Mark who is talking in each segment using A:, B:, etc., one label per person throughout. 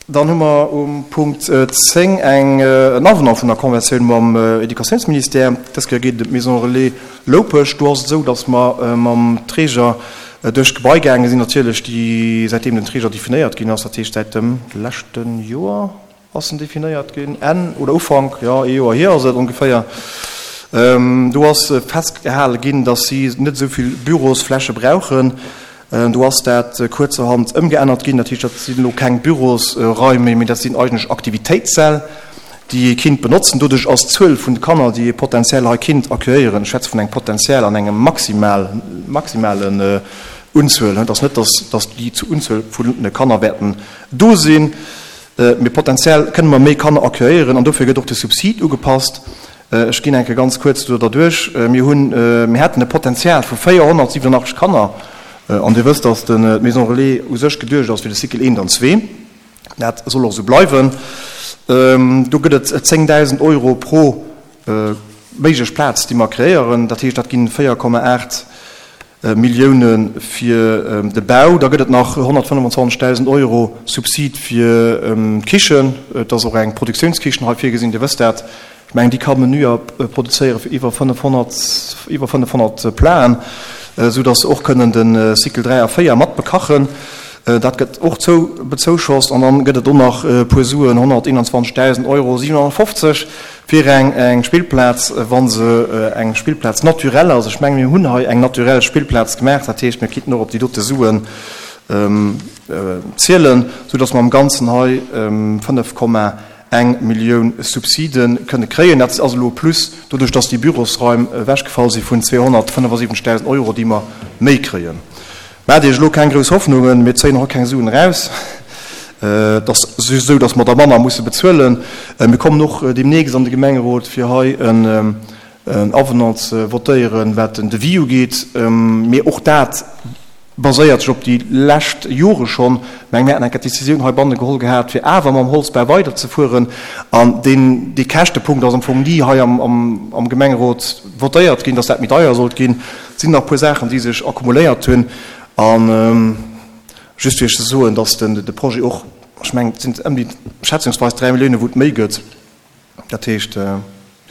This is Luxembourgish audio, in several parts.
A: Dann hu mer um Punkt 10 eng, en Avenant vun der Conventioun mam Educatiounsministère. Dës Kéier geet et ëm d'Maison Relais Loupech. Do ass et esou, dass mer mam Träger duerch d'Gebai gaange sinn, natierlech, déi, säitdeem den Träger definéiert ginn ass, dat heescht säit dem leschte Joer ass en definéiert ginn, Enn oder Ufank, jo, ee Joer hier ass et ongeféier. Do ass festgehale ginn, dass si net esou vill Bürosfläche brauchen. Do ass dat kuerzerhand ëmgeännert ginn. Dat heescht, dat sinn elo keng Bürosraim méi, mee dat sinn eigentlech Aktivitéitssäll, déi ee kinnt benotzen. Doduerch ass d'Zuel vun de Kanner, déi ee potenziell hei kinnt accueillieren, ech schwätze vun engem potenziell an engem maximal, maximalen Unzuel, et ass net, dass, dass déi Unzuel vun Kanner wäerten do sinn, mee potenziell kënne mer méi Kanner accueillieren an dofir gëtt och de Subsid ugepasst. Ech ginn eng Kéier ganz kuerz do derduerch. Mir hunn, mir hätten e Potenzial vu 487 Kanner. An Dir wësst, dass d'Maison Relais u sech geduecht ass fir de Cycle eent an zwee. Dat soll och esou bleiwen. Do gëtt et 10.000 Euro pro méiglech Plaz, déi mer kreéieren. Dat heescht, dat ginn 4,8 Millioune fir de Bau. Da gëtt et nach 125.000 Euro Subsid fir d'Kichen. Et ass och eng Produktiounskichen hei virgesinn, Dir wësst dat. Ech mengen, déi ka Menüer produzéiere fir iwwer 500, iwwer 500 Platen, esou datt se och kënnen de Cycle 3 a 4 mat bekachen. Dat gëtt och zou bezouschost. An dann gëtt et och nach e puer Suen, 121.000 Euro 750, fir eng eng Spillplaz, wa se eng Spillplaz naturelle ass. Ech mengen, mir hunn hei eng naturell Spillplaz gemaach. Dat heescht, mir kinnten och op déi dote Suen zielen, soudatt mer am Ganzen hei 5,1 Millioun Subside kënne kréien. Dat ass elo e Plus, doduerch datt déi Bürosraim ewechgefall si vun 275.000 Euro, déi mer méi kréien. Maacht Iech elo keng grouss Hoffnungen, mir zéien och keng Suen eraus. Et ass just esou, datt mer der manner musse bezuelen. Mir kommen och deemnächst an de Gemengerot, fir hei en Avenant ze votéieren, wat den Devis ugeet. Mee och dat baséiert sech op déi lescht Jore schonn. Ech mengen, mir haten eng Kéier d'Decisioun heibanne geholl gehat, fir awer mam Holzbau weiderzefueren. An deen, dee Käschtepunkt ass am Fong ni hei am Gemengerot votéiert ginn, datt dat méi deier sollt ginn. Et sinn nach e puer Saachen, déi sech akkumuléiert hunn. A just fir Iech ze soen, dass de Projet och, ech mengen, et sinn ëm déi schätzungsweis 3 Milliounen, wou et méi gëtt. Dat heescht, de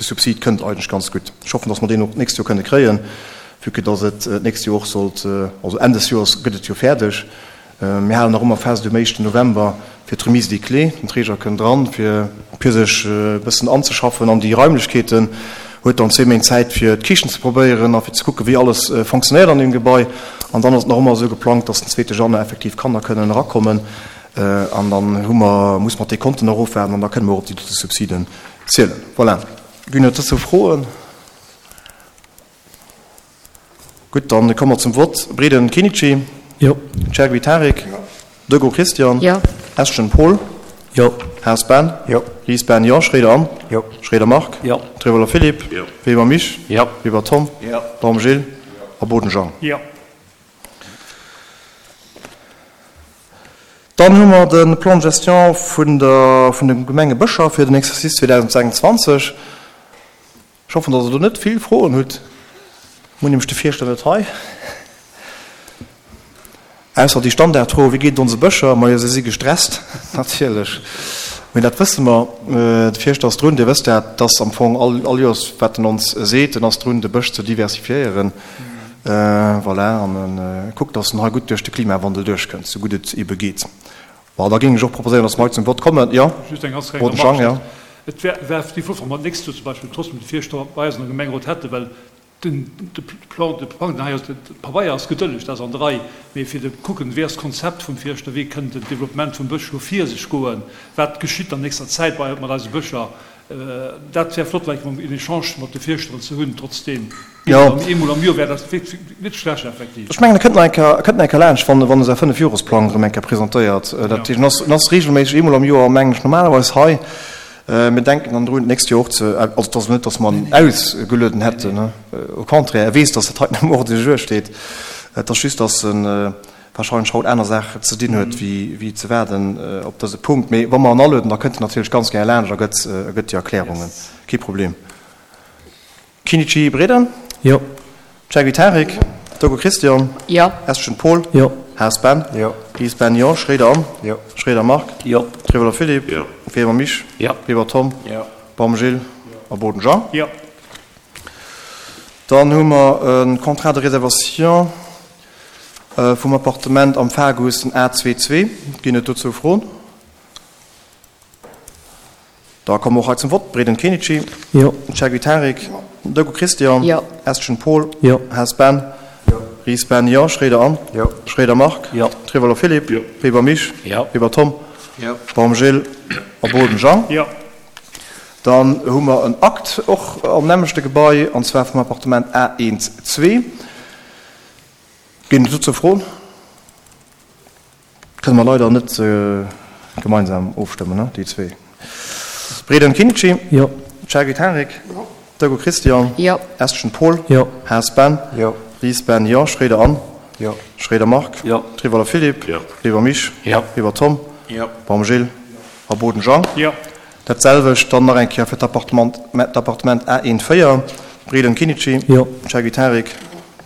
A: Subsid kënnt eigentlech ganz gutt. Ech hoffen, dass mer deen och d'nächst Joer kënne kréien, vue que dass et d'nächst Joer och sollt, also Enn des Joers gëtt et jo fäerdeg. Mir halen nach ëmmer fest um éischten November fir d'Remise des clés. Den Träger kënnt eran, fir fir sech e bëssen anzeschaffen an déi Raimlechkeeten, huet dann zwee Méint Zäit, fir d'Kichen ze probéieren a fir ze kucken, wéi alles fonctionnéiert an deem Gebai. An dann ass et nach ëmmer esou geplangt, dass den zweete Januar effektiv Kanner kënnen erakommen. An dann hu mer, muss mer d'Dekonten nach ofwaarden an da kënne mer och op déi dote Subsiden zielen. Voilà. Ginn et dozou Froen? Gutt, dann komme mer zum Vott. Breden Kenichi.
B: Jo.
A: Chergui Tarik.
B: Jo.
A: Dego Christian.
C: Jo.
A: Eschen Paul.
B: Jo.
A: Haas Ben.
B: Jo.
A: Ries Ben, jo. Schroeder Anne.
B: Jo.
A: Schroeder Marc.
B: Jo.
A: Trevoller Philippe.
B: Jo.
A: Weber Mich.
B: Jo.
A: Weber Tom.
B: Jo.
A: Baum Gilles. A Boden Jean.
B: Jo.
A: Dann hu mer de Plan de gestion vun der, vun de Gemenge Bëscher fir den Exercice 2026. Ech hoffen, dass Der do net vill Froen hutt. Mir hunn nämlech de Fierschter net hei. Ausser déi Standardfro, Wéi geet et onse Bëscher? Majo, se si gestresst, natierlech. Mee dat wësse mer. De Fierschter ass drun, Dir wësst dat, dass am Fong all, all Joers, wat en ons seet, en ass drun, de Bësch ze diversifiéieren. Voilà, an e kuckt, dass en hei gutt duerch de Klimawandel duerchkënnt, sou gutt et ebe geet. Bon, da géing ech och proposéieren, dass mer hei zum Vott kommen. Jo,
D: Just eng ganz kleng
A: Roten Jang,
D: Remarque.
A: jo.
D: Et wär, wär déi flott, wa mer d'nächst Joer zum Beispill trotzdem de Fierschter bei eis an der Gemengerot hätten, well den, de Plan, de Plang, den hei ass, de Pabeier ass gedëlleg, dat ass an der Rei, mee fir de kucken, wéi ass d'Konzept vum Fierschter, wéi kënnt den Développement vum Bësch elo vir sech goen, wat geschitt an nächster Zäit bei, mat eise Bëscher, Dat wär flott vläicht mol en Echange mat de Fierschteren ze hunn, trotzdeem.
A: Jo.
D: Eemol am Joer wär dat wierklech net schlecht effektiv.
A: Ech mengen, e kënnt nach eng Kéier, e kënnt nach eng Kéier laanscht, wann, wann e säi Fënnefjoresplang erëm eng Kéier presentéiert. Dat heescht, en ass, en ass regelméisseg eemol am Joer, mengen ech, normalerweis hei. Mir denken dann drun, d'nächst Joer och ze, also et ass elo net, datt mer en ausgelueden hätten, au contraire, e weess, datt dat heiten am Ordre du jour steet. Et ass just, datt en, wahrscheinlech haut aner Saachen ze dinn huet, wéi ze waarden op dëse Punkt. Mee wa mer en alueden, da kënnt en natierlech ganz gär laanscht a gëtt, a gëtt déi Erklärungen. Kee Problem. Chinicici Breden?
B: Jo.
A: Chergui Tarik? Dogo Christian?
C: Jo.
A: Eschen Paul?
B: Jo.
A: Haas Ben.
B: Jo.
A: Ries Ben, jo. Schroeder Anne.
B: Jo.
A: Schroeder Marc.
C: Jo.
A: Trivolo Philippe.
E: Jo.
A: Weber Misch.
C: Jo.
A: Weber Tom.
B: Jo.
A: Baum Gilles. A Boden Jean.
D: Jo.
A: Dann hu mer e Contrat de réservation vum Appartement am Fagus, den A22. Ginn et dozou Froen? Da komme mer och hei zum Vott. Breden Kenichi.
C: Jo.
A: Chergui Tarik. Deco Christian.
F: Jo.
A: Estgen Paul.
C: Jo.
A: Haas Ben.
B: Jo.
A: Ries Ben, jo. Schroeder Anne.
B: Jo.
A: Schroeder Marc.
C: Jo.
A: Trivolo Philippe.
E: Jo.
A: Weber Misch.
C: Jo.
A: Weber Tom.
B: Jo.
A: Baum Gilles. A Boden Jean.
D: Jo.
A: Dann hu mer en Akt och am nämmlechte Gebai, an zwar vum Appartement A1 2. Ginn et dozou Froen? Kënne mer leider net gemeinsam ofstëmmen, ne, déi zwee. Breden Kinici.
C: Jo.
A: Chergui Tarik. Jo. Deco Christian.
F: Jo.
A: Estgen Paul.
C: Jo.
A: Haas Ben.
B: Jo.
A: Ries Ben, jo. Schroeder Anne.
B: Jo.
A: Schroeder Marc.
C: Jo.
A: Trivolo Philippe.
E: Jo.
A: Weber Misch.
C: Jo.
A: Weber Tom.
B: Jo.
A: Baum Gilles. A Boden Jean.
D: Jo.
A: Dat selwecht dann nach eng Kéier fir d'Appartement, d'Appartement A1 4, Breden Kinici.
C: Jo.
A: Chergui Tarik.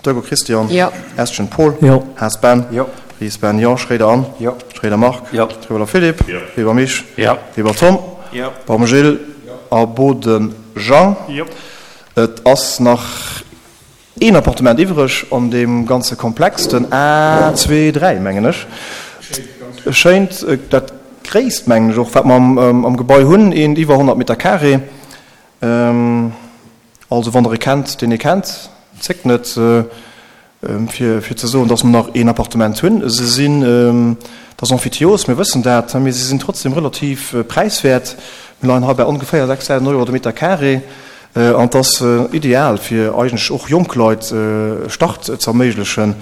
A: Deco Christian.
F: Jo.
A: Estgen Paul.
C: Jo.
A: Haas Ben.
B: Jo.
A: Ries Ben, jo. Schroeder Anne.
B: Jo.
A: Schroeder Marc.
C: Jo.
A: Trivolo Philippe.
E: Jo.
A: Weber Misch.
C: Jo.
A: Weber Tom.
B: Jo.
A: Baum Gilles. A Boden Jean.
D: Jo.
A: Et ass nach een Appartement iwwreg an deem ganze Komplex, den A 2, 3, mengen ech. E schéint, dat gréisst, mengen ech och, wat mer am Gebai hunn, eent iwwer 100 Meter carré. Also wann Der e kennt, deen ee kennt, zéckt net, fir fir ze soen, dass mer nach een Appartement hunn. Se sinn, dat ass Emphytios, mir wëssen dat, mee se sinn trotzdem relativ präiswäert. Mir leien hei bei ongeféier 6.000 Euro de Meter carré an et ass ideal, fir eigentlech och jonk Leit e Start ze erméiglechen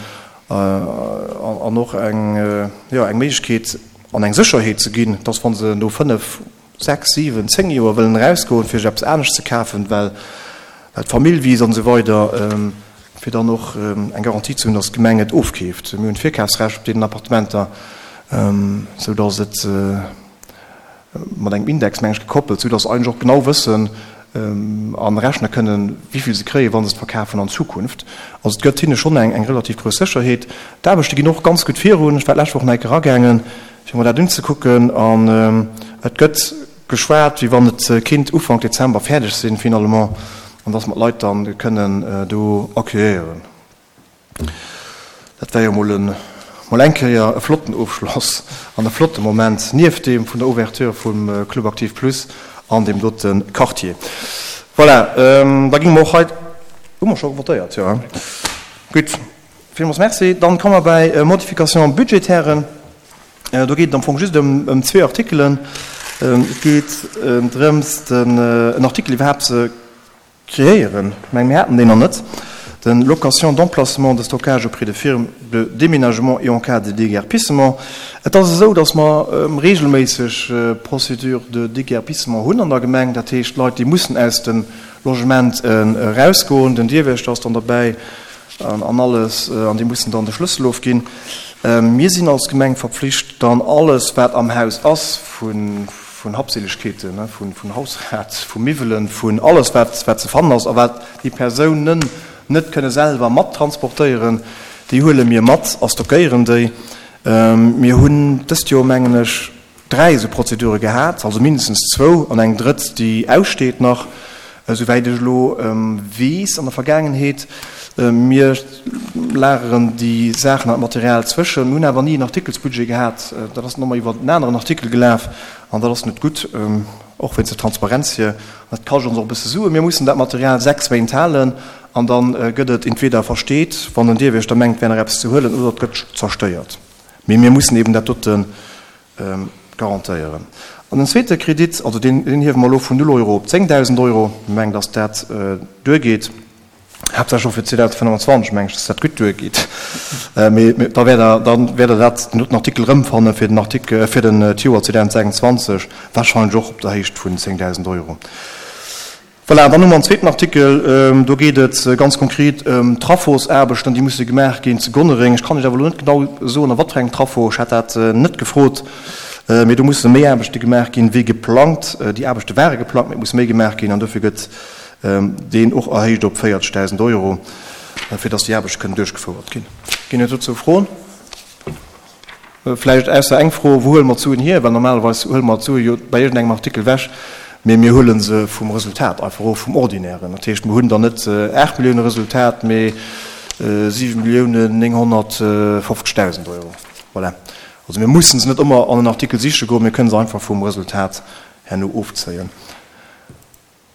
A: an och eng, jo, eng Méiglechkeet an eng Sécherheet ze ginn, dass wa se no fënnef, 6, 7, 10 Joer wëllen erausgoen, fir sech eppes anescht ze kafen, well d'Famill wiisst an esou weider, fir dann och eng Garantie ze hunn, datt d'Gemeng et ofkeeft. Mir hunn d'Virkafsrecht op deenen Appartementer, sou datt et mat engem Index, meng ech, gekoppelt, sou datt se eigentlech och genau wëssen a rechne kënnen, wéi vill se kréien, wa se et verkafen an Zukunft. Also et gëtt hinne schonn eng relativ grouss Sécherheet. D'Aarbechte ginn och ganz gutt virun. Ech war d'lescht Woch nach eng Kéier eragaangen. fir mer dat unzekucken an et gëtt geschwat, wéi wann et kinnt Ufank Dezember fäerdeg sinn finalement an dass mer d'Leit dann kënnen do accueillieren. Dat wär jo mol e mol eng Kéier e flotten Ofschloss an e flotte Moment nieft deem vun der Ouverture vum Club Aktiv Plus an deem dote Quartier. Voilà, da géinge mer och hei, hu mer scho votéiert? Jo, hein? Gutt. Villmools Merci. Dann komme mer bäi Modifications budgétairen. Do geet et am Fong just ëm zwee Artikelen. Et geet drëms, den en Artikel iwwerhaapt ze kreéieren. Ech mengen, mir haten deen nach net, de Location d'emplacement de stockage auprès de firmes de déménagement et en cas de déguerpissement. Et ass esou, dass mer regelméisseg Procédures de déguerpissement hunn an der Gemeng. Dat heescht, Leit, déi mussen aus dem Logement erausgoen. Den Dierwächter ass dann derbäi. An alles, an déi mussen dann de Schlëssel ofginn. Mir sinn als Gemeng verpflicht, dann alles, wat am Haus ass, vun Habseligkeeten, vun Hausrat, vu Miwwelen, vun alles, wat ze fannen ass a wat déi Persounen net kënne selwer mat transportéieren, déi huele mir mat a stockéieren déi. Mir hunn dëst Joer, mengen ech, 3 esou Prozedure gehat, also mindestens zwou an eng drëtt, déi aussteet nach, esouwäit ech elo weess an der Vergaangenheet. Mir lageren déi Saachen an d'Material zwëschen. Mir hunn awer ni en Artikelsbudget gehat. Dat ass dann ëmmer iwwer en aneren Artikel gelaf an dat ass net gutt, och wéinst der Transparenz hier. Dat kascht ons och e bësse Suen. Mir mussen dat Material 6 Méint halen an da gëtt et entweder versteet, wann den Dierwiechter mengt, et wär nach eppes ze huelen, oder et gëtt zerstéiert. Mee mir mussen eben dat dote garantéieren. An den zweete Kredit, also deen hiewe mer elo vun null Euro op 10.000 Euro. Mir mengen, dass dat duergeet, haaptsächlech och fir 2025 mengen ech, dass dat gutt duergeet. Mee da wäert Der, da wäert Der dat, den doten Artikel erëmfanne fir den Artikel, fir den d'Joer 2026, wahrscheinlech och op der Héicht vun 10.000 Euro. Voilà, an dann hu mer en zweeten Artikel, do geet et ganz konkret ëm Traffosaarbechten, déi musse gemaach ginn zu Gonnereng. Ech kann lech awer elo net genau soen, a wat fir engem Traffo, ech hat dat net gefrot, mee do musse méi Aarbechte gemaach ginn, wéi geplangt. Déi Aarbechte ware geplangt, mee et muss méi gemaach ginn an dofir gëtt deen och erhéicht op 40.000 Euro, fir dass déi Aarbechte kënnen duerchgefouert ginn. Ginn et dozou Froen? Vläicht ausser eng Fro, Wou huele mer d'Suen hier? Well normalerweis huele mer d'Sue jo bei iergendengem Artikel ewech, mee mir huele se vum Resultat einfach of, vum Ordinären. Dat heescht, mir hunn dann net 8 Millioune Resultat, mee 7 Milliounen 950.000 Euro. Voilà. Also mir mussen se net ëmmer an en Artikel siche goen, mir kënne se einfach vum Resultat herno ofzéien.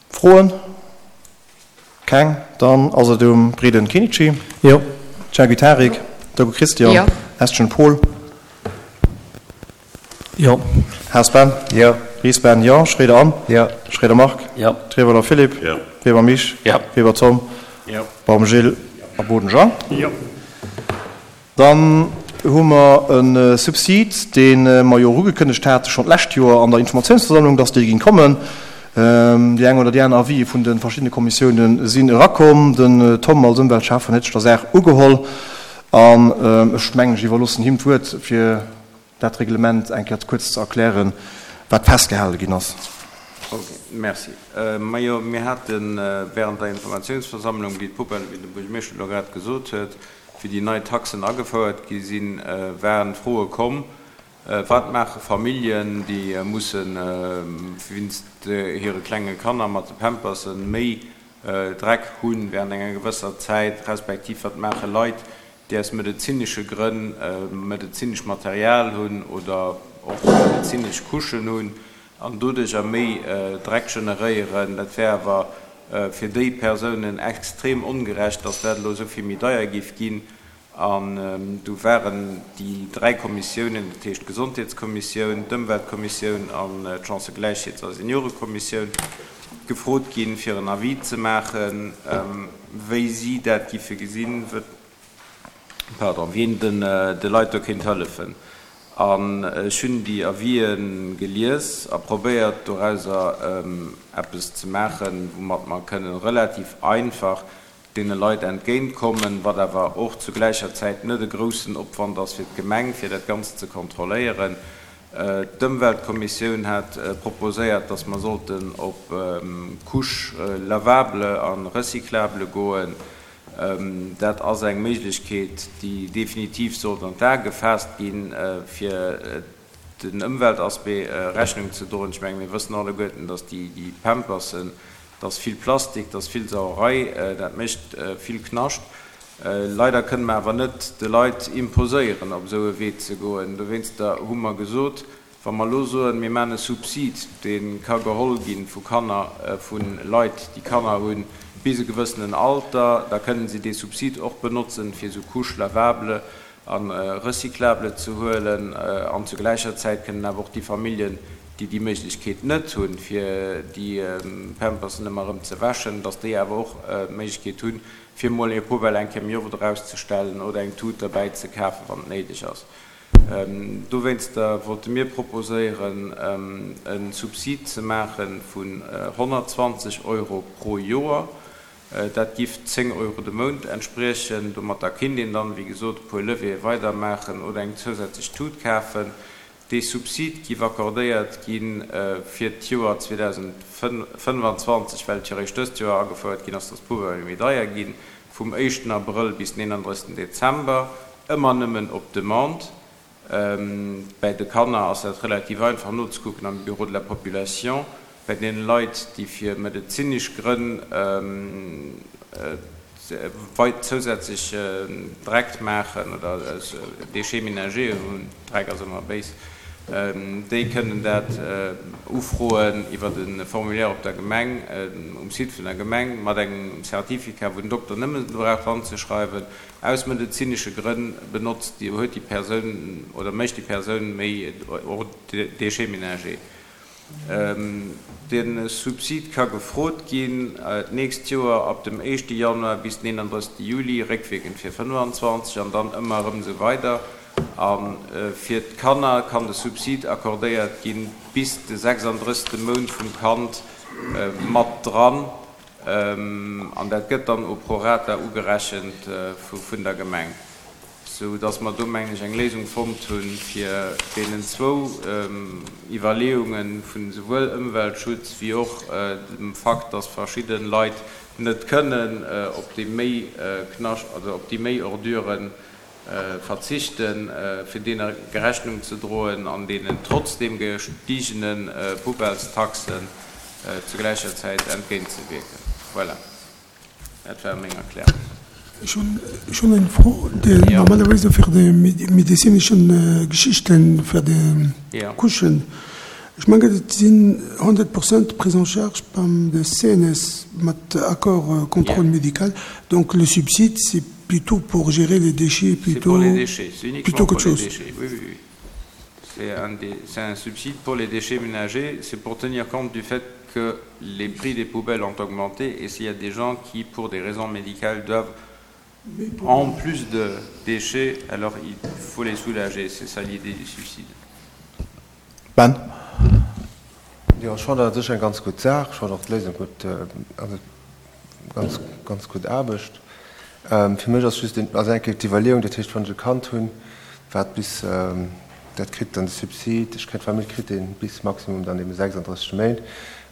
A: Froen? Keng? Dann ass et um Breden Kenichi.
B: Jo.
A: Chergui Tarik. Dogo Christian.
C: Jo.
A: Estgen Paul.
B: Jo.
A: Haas Ben.
B: Jo.
A: Ries Ben, jo. Schroeder Anne.
B: Jo.
A: Schroeder Marc.
B: Jo.
A: Trewelder Philippe.
E: Jo.
A: Weber Mich.
B: Jo.
A: Weber Tom.
E: Jo.
A: Baum Gilles a Boden Jean.
D: Jo.
A: Dann hu mer e Subsid, dee mer jo och ugekënnegt hate schonn d'lescht Joer an der Informatiounsversammlung, dass dee géing kommen. Déi eng oder déi aner Avisë vun de verschiddene Kommissiounen sinn erakomm. Den Tom als Ëmweltschäffen huet sech der Saach ugeholl an ech mengen, ech iwwerloossen him d'Wuert, fir dat Reglement eng Kéier kuerz ze erklären, wat festgehale ginn ass.
F: Ok, merci. Majo, mir hate während der Informatiounsversammlung, wéi d'Poubelle, wéi de Buergermeeschter elo grad gesot huet, Wéi déi nei Taxen agefouert gi sinn, waren d'Froe komm, Wat maache Familljen, déi musse wéinst hire klenge Kanner mat de Pampersen méi Dreck hu während enger gewësser Zäit, respektiv wat maache Leit, déi aus medezinesche Grënn medezinesch Material hunn oder och medezinesch Couchen hunn an doduercher méi Dreck generéieren. Dat wär awer fir déi Persounen extrem ongerecht, dass dat elo esou vill méi deier géif ginn. An du waren déi dräi Kommissiounen, dat heescht d'Gesondheetskommissioun, d'Ëmweltkommissioun an d'Chancëgläichheets a Seniorekommissioun, gefrot ginn, fir en Avis ze maachen, wéi si dat giffe gesinn. Pardon, wien den de Leit do kéint hëllefen. An ech hunn déi Avisë gelies a probéiert dorauser eppes ze maachen, woumat mer kënnen relativ einfach deene Leit entgéint kommen, wat awer och zu gläicher Zäit net e groussen Opwand ass fir d'Gemeng, fir dat Ganzt ze kontrolléieren. D'Ëmweltkommissioun hat proposéiert, dass mer sollten op Couche lavable a recyclable goen. Dat ass eng Méiglechkeet, déi definitiv sollt an d'A gefaasst ginn, fir den Ëmweltaspect Rechnung ze droen. Ech menge mir wëssen alleguerten, datt déi Pampersen, dat ass vill Plastik, dat ass vill Sauerei, dat mécht vill Knascht. Leider kënne mer awer net de Leit imposéieren, op esou e Wee ze goen. Dowéinster hu mer gesot, Wa mer elo soen, mir maachen e Subsid, dee ka geholl gi vu Kanner, vu Leit, déi Kanner hunn, bis e gewëssenen Alter, da kënnen si dee Subsid och benotzen, fir esou Couches lavables a recyclables ze huelen. An zu gläicher Zäit kënnen awer och déi Familljen, déi déi Méiglechkeet net hunn, fir déi Pampersen ëmmer erëm ze wäschen, dass déi awer och d'Méiglechkeet hunn, fir emol hir Poubelle eng Kéier méi oft erauszestellen oder eng Tut derbäi ze kafen, wann et néideg ass. Dowéinster wollte mir proposéieren, e Subsid ze maache vun 120 Euro pro Joer. Dat giff 10 Euro de Mount entspriechen. Domatter kinnt een dann, wéi gesot, e puer Levéeë weider maachen oder eng zousätzlech Tut kafen. Dee Subsid giff accordéiert gi fir d'Joer 2025, well et jo eréischt dëst Joer agefouert ginn ass, dass d'Poubellë méi deier ginn, vum éischten Abrëll bis den 31 Dezember. Ëmmer nëmmen op Demande. Bäi de Kanner ass dat relativ einfach nozekucken am Bureau de la population. Bäi deene Leit, déi fir medezinesch Grënn zousätzlech Dreck maachen oder Déchets ménagers hunn, Dreck ass ëmmer béis, déi kënnen dat ufroen iwwer e Formulaire op der Gemeng, um Site vun der Gemeng, mat engem Certificat, wou den Dokter nëmmen brauch dranzeschreiwen, Aus medezinesche Grënn benotzt déi, huet déi Persoun oder mécht déi Persoun méi Déchets ménagers. De Subsid ka gefrot ginn d'nächst Joer ab dem éischte Januar bis den 31. Juli, réckwierkend fir 25, an dann ëmmer erëm esou weider. A fir d'Kanner kann de Subsid accordéiert ginn bis de 36. Mount vum Kand mat dran. An dat gëtt dann au prorata ugerechent vun der Gemeng, sou dass mer do, mengen ech, eng Léisung fonnt hunn, fir deenen zwou Iwwerleeunge vun esouwuel Ëmweltschutz wéi och dem Fakt, dass verschidde Leit net kënnen op déi méi Knascht, also op déi méi Ordüren. Verzichten, fir deene Rechnung ze droen an deenen trotzdem gestigene Poubellestaxen zu gläicher Zäit entgéintzewierken. Voilà, dat war meng Erklärung.
B: Ech hunn eng Fro, déi normalerweise fir déi medezineschen Geschichten, fir déi Couchen, ech mengen et sinn 100 Prozent prise en charge beim de CNS mat Accord contrôle médical, donc le subside c'est plutôt pour gérer les déchets
F: plutôt, pour les déchets, c'est uniquement pour les déchets. Oui, oui, oui. C'est un, un subside pour les déchets ménagers, c'est pour tenir compte du fait que les prix des poubelles ont augmenté et s'il y a des gens qui, pour des raisons médicales, doivent en plus de déchets, alors il faut les soulager. C'est ça l'idée du subside.
A: Ben.
C: Jo, ech fannen dat u sech eng ganz gutt Saach. Ech fannen och d'Léisung gutt, also ganz, ganz gutt Aarbecht. Fir mech ass just ass eng Kéier d'Iwwerleeung, dat heescht, wann ech e Kand hunn, wat bis, dat kritt dann de Subsid, ech kréien, d'Famill kritt dee bis maximum dann ebe 36 Méint.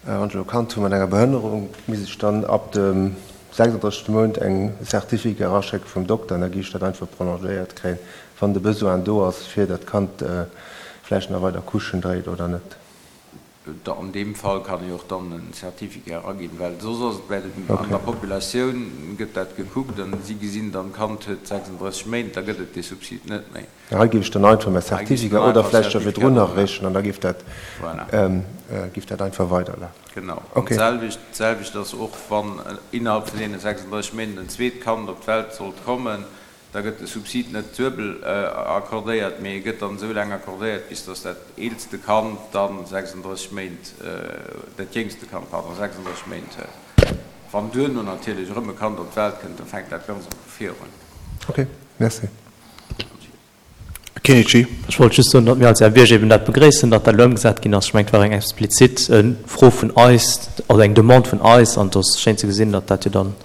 C: Wann ech elo e Kand hu mat enger Behënnerung, misst ech dann ab dem 36. Mount eng Certificat eraschécke vum Dokter an da géif ech dat einfach prolongéiert kréien, wann de Besoin do ass, fir datt d'Kand vläicht nach weider Couchen dréit oder net.
F: An deem Fall kann ee och dann en Certificat eraginn, well soss ass et bei den, an der Populatioun gëtt dat gekuckt an si gesinn dann, d'Kand huet 36 Méint, da gëtt et dee Subsid net méi.
C: Hei géif ech dann einfach mäi Certificat oder vläicht scho virdrun nach ereechen an da géif dat, géif dat einfach weiderlafen.
F: Genau. An d'selwecht, d'selwecht ass och, wann innerhalb vun deene 36 Méint en zweet Kand op d'Welt sollt kommen, Da gëtt de Subsid net duebel accordéiert, mee e gëtt dann esou laang accordéiert, bis dass dat eelste Kand dann 36 Méint, dat jéngste Kand, pardon, 36 Méint huet. Wann duerno natierlech erëm e Kand op d'Welt kënnt, da fänkt dat Ganzt erëm vu vir un.
C: Ok, merci.
A: Kinnici.
E: Ech wollt just soen, datt mir als RBG eben dat begréissen, datt dat elo ëmgesat ginn ass. Ech mengen, et war eng explizit Fro vun eis, also eng Demande vun eis, an et ass schéin ze gesinn, datt dat jo dann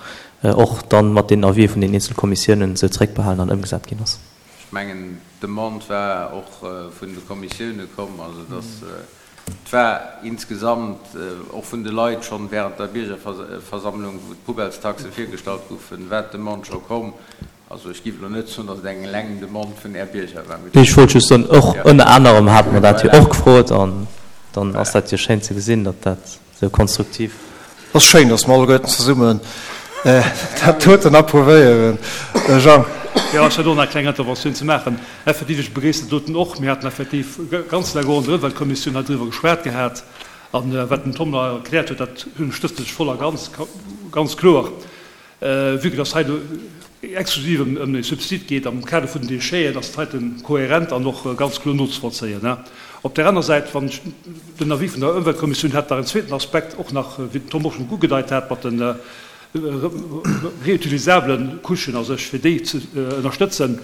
E: och dann mat den Avisë vun den eenzele Kommissiounen esou zréckbehalen an ëmgesat ginn ass.
F: Ech mengen, d'Demande war och vun de Kommissioune komm, also datt et war insgesamt och vun de Leit schonn während der Biergerversammlung, wou d'Poubellestaxe virgestallt goufen, war d'Demande scho komm. Also ech géif elo net soen, datt et eng eleng Demande vun Är Bierger war.
E: Mee ech wollt just soen, och ënner anerem hate mer dat jo och gefrot an dann ass dat jo schéin ze gesinn, datt dat esou konstruktiv.
A: Et ass schéin, datt mer alleguerten zesummen dat doten approuvéieren. Jean.
D: Jo, ech hätt och nach eng kleng Interventioun ze maachen. Effektiv, ech begréissen dat doten och. Mir haten effektiv ganz laang och an der Ëmweltkommissioun hei driwwer geschwat gehat. An wat den Tom nach erkläert huet, dat ënnerstëtzen ech voll a ganz, ganz kloer. Vue que dass hei elo exklusiv ëm e Subsid geet am Kader vun den Décheten, ass dat heiten kohärent an och ganz kloer nozevollzéien. Op där aner Säit, wann ech den Avis vun der Ëmweltkommissioun hätt, nach en zweeten Aspekt och nach, wéi den Tom och schonn ugedeit hat, mat de reutilisablen Couchen a sech, fir déi ze ënnerstëtzen.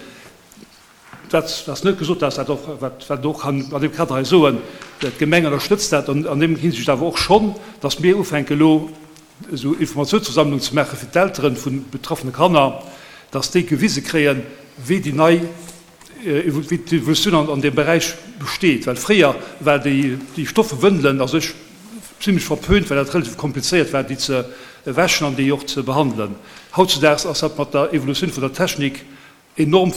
D: Dat ass net gesot, dass dat och, wat een och kann an deem Kader hei soen, d'Gemeng ënnerstëtzt dat an deem Hinsicht awer och schonn, dass mir ufänken elo esou Informatiounsversammlungen ze maache fir d'Eltere vu betraffene Kanner, dass déi gewise kréien, wéi déi nei, wéi d'Evolutioun an deem Beräich besteet. Well fréier war déi Stoffewëndelen a sech zimlech verpönt, well dat relativ komplizéiert war, déi ze wäschen an déi och ze behandelen. Hautzudaags ass dat mat der Evolutioun vun der Technik enorm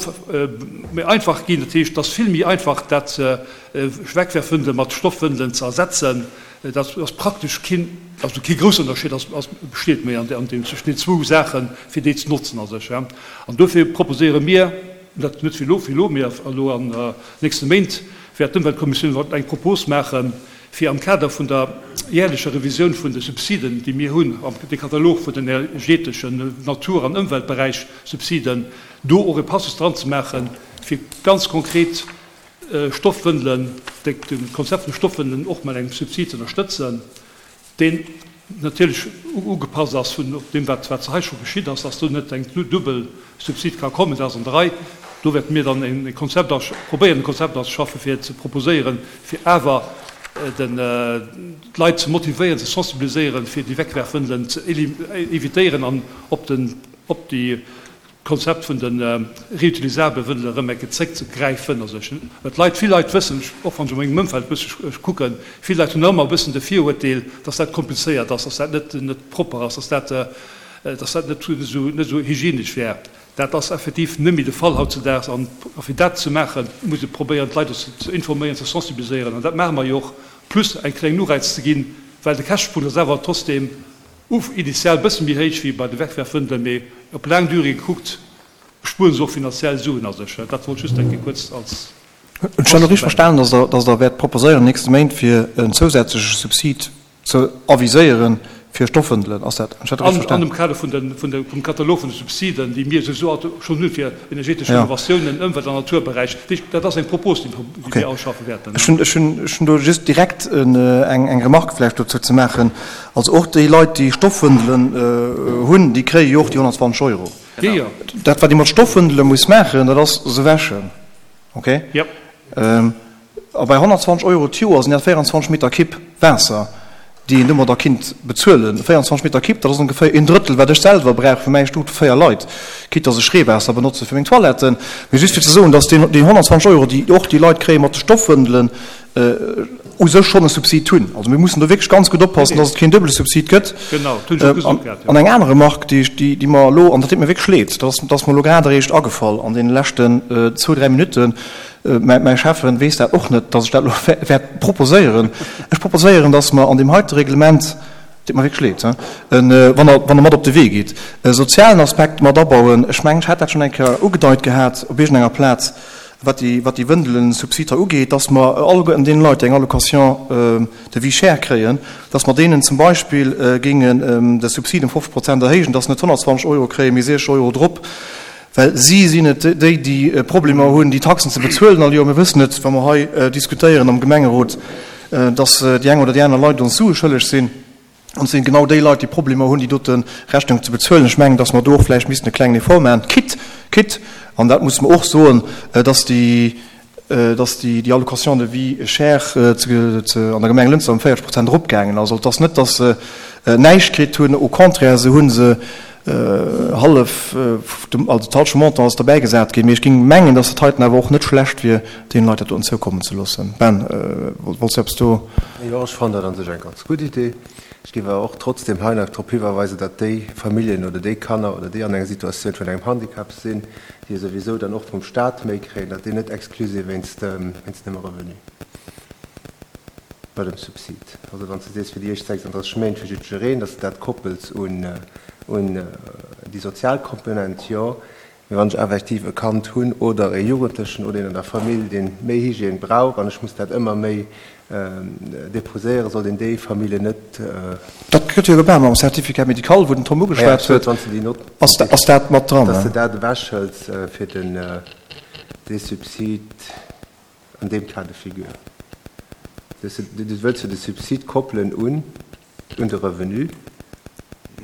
D: méi einfach ginn. Dat heescht, et ass vill méi einfach, dat Wegwerfwëndele mat Stoffwëndelen ze ersetzen. Dat ass praktesch keen, also kee groussen Ënnerscheed ass, ass, besteet méi an deem, zwëschen den zwou Saachen, fir déi ze notzen a sech. An dofir proposéiere mir, dat net fir elo, fir elo, mee elo an nächste Méint wäert d'Ëmweltkommissioun eng Propos maachen, fir am Kader vun der jährlecher Revisioun vun de Subsiden, déi mir hunn, am de Katalog vun den energeteschen, Natur an Ëmweltberäich Subsiden, do och e Passus dran ze maachen, fir ganz konkret Stoffwëndelen, de Konzept vun de Stoffwëndelen och mat engem Subsid ze ënnerstëtzen, deen natierlech ugepasst ass vun deem, wat wat hei scho geschitt ass, dass do net eng duebel Subsid ka kommen. Dat ass an der Rei. Do wäerte mir dann e Konzept probéieren, e Konzept auszeschaffen, fir ze proposéieren, fir awer den d'Leit ze motivéieren, ze sensibiliséieren, fir déi Wegwerfwëndelen ze évitéieren an op den op déi D'Konzept vun de reutilisabele Wëndele erëm eng Kéier zréckzegräifen. Also ech, well d'Leit, vill Leit wëssen, och wann ech a mengem Ëmfeld e bësse kucken, vill Leit hunn nach ëmmer e bëssen de Viruerteel, dass dat komplizéiert ass, dass dat net net propper ass, dass dat, dass dat net esou net esou hygienesch wär. Dat ass effektiv net méi de Fall hautzedaags. An fir dat ze maachen, muss ee probéieren, d'Leit och ze informéieren, ze sensibiliséieren. An dat maache mer jo och, plus eng kleng Ureiz ze ginn, well de Käschtepunkt ass awer trotzdeem initial e bësse méi héich wéi bei de Wegwerfwëndelen, mee op laang Durée gekuckt spueren se och finanziell Suen a sech. Dat wollt ech just eng Kéier kuerz als.
A: Hunn ech dat elo richteg verstanen, dass Der wäert proposéieren an den nächste Méint, fir en zousätzleche Subsid ze aviséieren fir Stoffwëndelen, ass dat, hunn ech dat
D: richteg verstanen? An dem Kader vun den, vun de, vum Katalog vun de Subsiden, déi mir souwisou schonn hunn fir energetesch Renovatiounen, Ëmwelt an Naturberäich. Dat ass eng Propos, déi mir ausschaffe wäerten.
A: Ech hunn, ech hunn, ech hunn do just direkt eng, eng Remarque vläicht dozou ze maachen. Also och déi Leit, déi Stoffwëndelen hunn, déi kréie jo och déi 120 Euro. Dat, wat ee mat Stoffwëndele muss maachen, dat ass se wäschen. Okay? A bei 120 Euro d'Joer sinn dat 24 Meter Kipp Waasser, déi een domadder kinnt bezuelen. 24 Meter Kipp, dat ass ongeféier een Drëttel, wat ech selwer brauch fir mäi Stuff vu 4 Leit, quitte dass ech Reewaasser benotze fir meng Toiletten. Mee just fir ze soen, dass déi 120 Euro, déi och déi Leit kréie mat de Stoffwëndelen, u sech schonn e Subsid hunn. Also mir mussen do wierklech ganz gutt oppassen, dass et keen duebele Subsid gëtt. An eng aner Remarque, déi ech, déi mer elo, an dat deet mir wierklech leed, dat ass, dat ass mer elo grad eréischt agefall an deene leschten zwou, dräi Minutten, mäi Schäffen weess dat och net, dass ech dat elo wäert proposéieren. Ech proposéieren, dass mer an deem heite Reglement, deet mer wierklech leed, wann Der, wann Der mat op de Wee gitt, e sozialen Aspekt mat abauen. Ech mengen, ech hat dat schonn eng Kéier ugedeit gehat op iergendenger Plaz, wat déi, wat déi Wëndelen-Subsid hei ugeet, dass mer alleguerten deene Leit, déi eng Allocation de vie chère kréien, dass mer deenen zum Beispill géingen de Subsid ëm 50 Prozent erhéijen, dass se net 120 Euro kréien, mee 60 Euro drop, well si sinn et déi, déi Problemer hunn, déi Taxen ze bezuelen all Joer. Mir wëssen et, wa mer hei diskutéieren am Gemengerot, dass déi eng oder déi aner Leit ons Sue schëlleg sinn. An et sinn genau déi Leit, déi Problemer hunn, déi dote Rechnung ze bezuelen. Ech mengen, dass mer do och vläicht missten e klengen Effort maachen, quitte, quitte, an dat musse mer och soen, dass déi, dass déi, déi Allocation de vie chère ze, ze, an der Gemeng Lënster ëm 40 Prozent eropgaangen ass. Also et ass net, dass se näischt kritt hunn, au contraire, se hu se hallef, also d'halsche Montant ass derbäigesat ginn. Mee ech géing mengen, dass dat heiten awer och net schlecht wier, deene Leit dat doten zoukommen ze loossen. Ben, wollts du eppes do?
C: Jo, ech fannen dat an sech eng ganz gutt Idee. Ech géif awer och trotzdem hei nach drop hiwerweisen, datt déi Familljen oder déi Kanner oder déi an enger Situatioun vun engem Handicap sinn, déi jo souwisou dann och vum Stat méi kréien, datt déi net exclu si wéinst dem Revenu bei dem Subsid. Also wann s de sees fir déi éischt 36 Méint fir jiddwereen, datt s de dat koppels un déi sozial Komponent, jo. Mee wann ech effektiv e Kand hunn oder e Jugendlechen oder een an der Famill, dee méi Hygiène brauch an ech muss dat ëmmer méi deposéieren, sollt een déi Familljen net.
A: Dat gëtt jo gemaach mam Certificat médical, wou den Tom ugeschwat huet. Ass dat mat dran?
C: Dass de dat ewechhëls fir den, dee Subsid an deem Cas de figure. Du wëlls jo de Subsid koppelen un. Un de Revenu.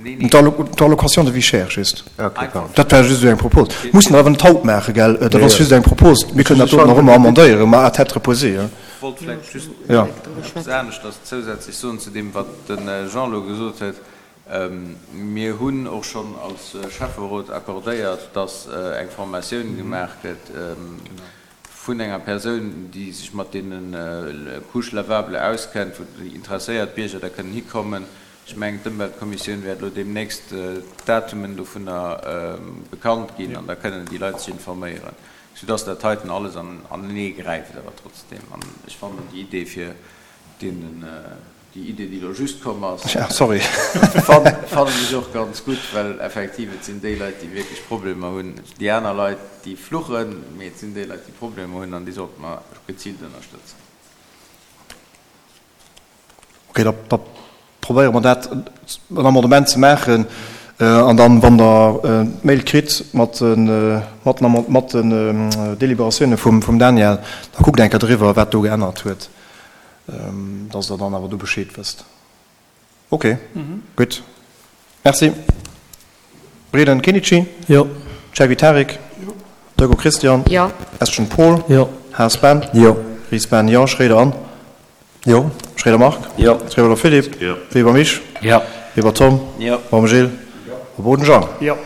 A: D'Allocation de vie chère just. Dat war just esou eng Propos. Mussen der awer net haut maachen, gell? Dat ass just eng Propos. Mir kënnen dat do nach ëmmer amendéieren, ma à tête reposée.
F: Ech wollt vläicht just eppes aneschters zousätzlech soen zu deem, wat de Jean elo gesot huet. Mir hunn och schonn als Schäfferot accordéiert, dass eng Formatioun gemaach gëtt, vun enger Persoun, déi sech mat deene Couches lavables auskennt, wou déi interesséiert Bierger da kënnen hikommen. Ech mengen, d'Ëmweltkommissioun wäert elo deemnächst d'Datumen dovunner bekannt ginn an da kënnen déi Leit sech informéieren, soudass dat heiten alles anenee gräift awer trotzdem. An ech fannen déi Idee fir deenen Déi Idee, déi elo just komm ass, fannen ech och ganz gutt, well effektiv et sinn déi Leit, déi wierklech Problemer hunn. Déi aner Leit, déi fluchen, mee et sinn déi Leit, déi Problemer hunn an déi sollte mer geziilt ënnerstëtzen.
A: Okay, da probéiere mer dat, en Amendement ze maachen an dann, wann Der d'Mail kritt mat den Deliberatioune vum Daniel, da kuckt eng Kéier driwwer, wat do geännert huet. Dass Der dann awer do Bescheed wësst. Ok, gutt. Merci. Breden Kenichi?
E: Jo.
A: Chergui Tarik? Jo. Deugo Christian?
G: Jo.
A: Estgen Paul?
E: Jo.
A: Haas Ben?
C: Jo.
A: Ries Ben? Jo. Schroeder Anne?
C: Jo.
A: Schroeder Marc?
F: Jo.
A: Schroeder Philippe?
F: Jo.
A: Weber Mich?
F: Jo.
A: Weber Tom?
F: Jo.
A: Baum Gilles?
F: Jo.
A: A Boden Jean?
D: Jo.